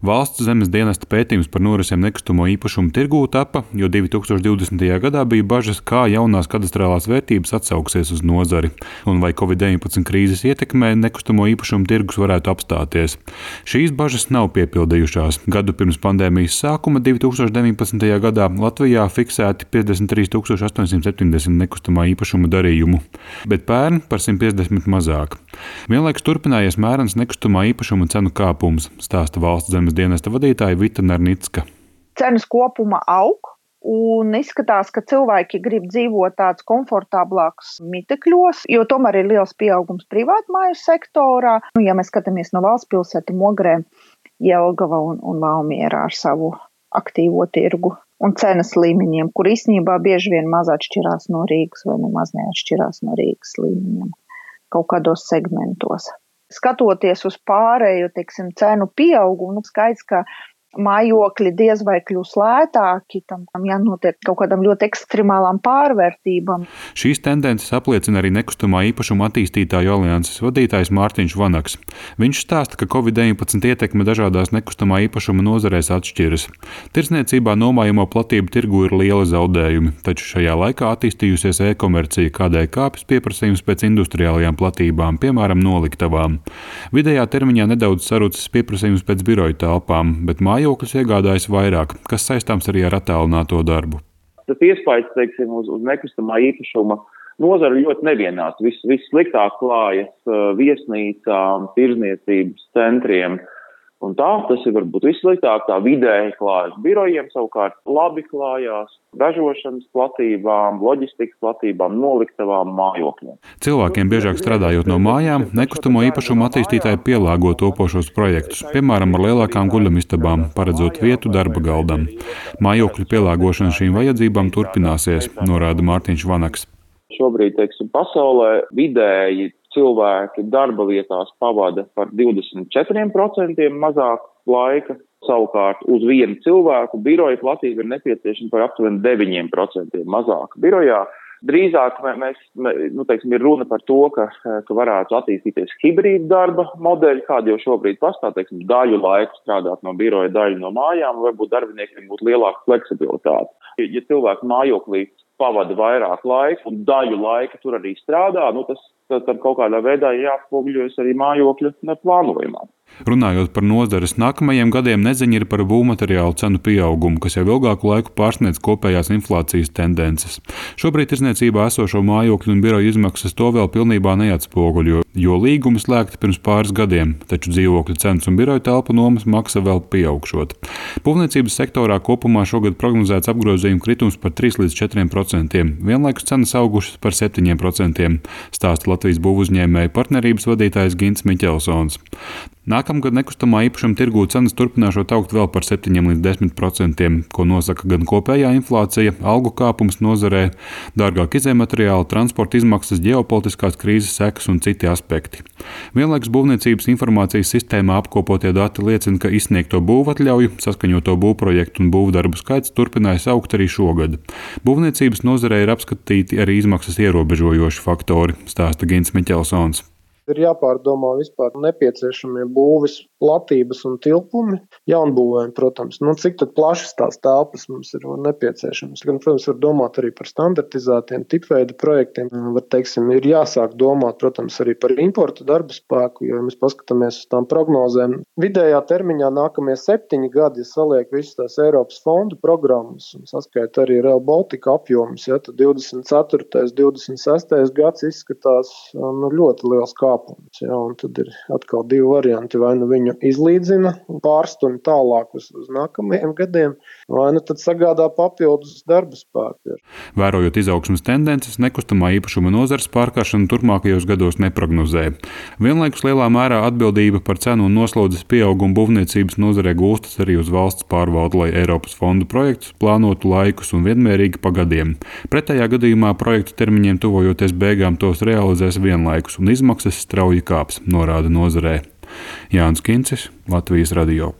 Valsts zemes dienesta pētījums par norisēm nekustamo īpašumu tirgū tapa, jo 2020. gadā bija bažas, kā jaunās kadastrālās vērtības atsauksies uz nozari un vai Covid-19 krīzes ietekmē nekustamo īpašumu tirgus varētu apstāties. Šīs bažas nav piepildījušās. Gadu pirms pandēmijas sākuma 2019. gadā Latvijā fiksēti 53 870 nekustamā īpašuma darījumu, bet pērn par 150 mazāk. Vienlaikus turpinājies mērens nekustamā īpašuma cenu kāpums, stāsta valsts zemes dienesta vadītāja Vita Narnicka. Cenas kopuma aug un izskatās, ka cilvēki grib dzīvot tāds komfortablāks mitekļos, jo tomēr ir liels pieaugums privātmāju sektorā. Ja mēs skatāmies no valsts pilsētu Mogrē, Jelgava un Valmiera ar savu aktīvo tirgu un cenas līmeņiem, kur īstenībā bieži vien maz atšķirās no Rīgas vai nemaz neatšķirās no Rīgas līmeņiem kaut kādos segmentos. Skatoties uz pārējo, cenu pieaugumu, skaidrs, ka mājokļi diez vai kļūs lētāki, tam jānotiek kaut kādam ļoti ekstremālām pārvērtībām. Šīs tendences apliecina arī nekustamā īpašuma attīstītāju alianses vadītājs Mārtiņš Vanaks. Viņš stāsta, ka Covid-19 ietekme dažādās nekustamā īpašuma nozarēs atšķiras. Tirdzniecībā nomājamo platību tirgu ir liela zaudējumi, taču šajā laikā attīstījusies e-komercija, kādēļ kāpjas pieprasījums pēc industriālajām platībām, piemēram, noliktavām. Vidējā termiņā nedaudz sarucis pieprasījums pēc biroju telpām, bet mājokļus iegādājas vairāk, kas saistāms arī ar attālināto darbu. Tas iespējas, uz nekustamā īpašuma nozara ļoti nevienāds. Vissliktāk klājas viesnīcām, tirdzniecības centriem. Un tas ir varbūt vissliktāk, tā vidēji klājas birojiem, savukārt labi klājās ražošanas platībām, loģistikas platībām, noliktavām, mājokļiem. Cilvēkiem biežāk strādājot no mājām, nekustamo īpašumu attīstītāji pielāgo topošos projektus, piemēram, ar lielākām guļamistabām, paredzot vietu darba galdam. Mājokļu pielāgošana šīm vajadzībām turpināsies, norāda Mārtiņš Vanaks. Šobrīd, pasaulē vidēji cilvēki darba vietās pavada par 24% mazāk laika. Savukārt uz vienu cilvēku biroja platība ir nepieciešama par aptuveni 9% mazāk birojā. Drīzāk ir runa par to, ka varētu attīstīties hibrīda darba modeļi, kādi jau šobrīd pastāv, daļu laiku strādāt no biroja, daļu no mājām, varbūt darbiniekiem būtu lielāka fleksibilitāte. Ja cilvēki mājoklī pavada vairāk laika un daļu laika tur arī strādā, tas kaut kādā veidā jāatspoguļojas arī mājokļa plānojumā. Runājot par nozares nākamajiem gadiem, neziņa ir par būvmateriālu cenu pieaugumu, kas jau ilgāku laiku pārsniedz kopējās inflācijas tendences. Šobrīd tirdzniecībā esošo mājokļu un biroju izmaksas to vēl pilnībā neatspoguļo, jo līgumi slēgti pirms pāris gadiem, taču dzīvokļu cenas un biroju telpu nomas maksa vēl pieaugšot. Būvniecības sektorā kopumā šogad prognozēts apgrozījuma kritums par 3 līdz 4%, vienlaikus cenas augušas par 7%, stāsta Latvijas būvuzņēmēju partnerības vadītājs Gints Miķelsons. Nākamgad nekustamā īpašuma tirgū cenas turpināšot augt vēl par 7 līdz 10%, ko nosaka gan kopējā inflācija, algu kāpums nozarē, dārgāk izejmateriāli, transporta izmaksas, ģeopolitiskās krīzes sekas un citi aspekti. Vienlaikus būvniecības informācijas sistēmā apkopotie dati liecina, ka izsniegto būvatļauju, saskaņoto būvprojektu un būvdarbu skaits turpinājis augt arī šogad. Būvniecības nozarē ir apskatīti arī izmaksas ierobežojoši faktori, stāsta Gints Miķelsons. Ir jāpārdomā vispār nepieciešamie būves platības un tilpumi jaunbūvēm, protams. Cik tad plašas tās telpas mums ir nepieciešamas. Gan, protams, var domāt arī par standartizētiem tipveida projektiem. Ir jāsāk domāt, protams, arī par importu darba spēku, jo, ja mēs paskatāmies uz tām prognozēm, vidējā termiņā nākamie 7 gadi, ja saliek visas tās Eiropas fondu programmas un saskaita arī Rail Baltica apjomus, tad 24. 26. gads izskatās ļoti liels kāpums. Un tad ir atkal 2 varianti, vai viņu izlīdzina un pārstumj tālāk uz nākamajiem gadiem, vai tad sagādā papildus darba spēku. Vērojot izaugsmes tendences, nekustamā īpašuma nozares pārkāršanu turpmākajos gados neprognozē. Vienlaikus lielā mērā atbildība par cenu un noslodzes pieaugumu būvniecības nozarē gulstas arī uz valsts pārvaldu, lai Eiropas fondu projektus plānotu laikus un vienmērīgi pa gadiem. Pretējā gadījumā projektu termiņiem tuvojoties beigām tos realizēs vienlaikus un izmaksas strauji kāps, norāda nozarē. Jānis Kincis, Latvijas radio.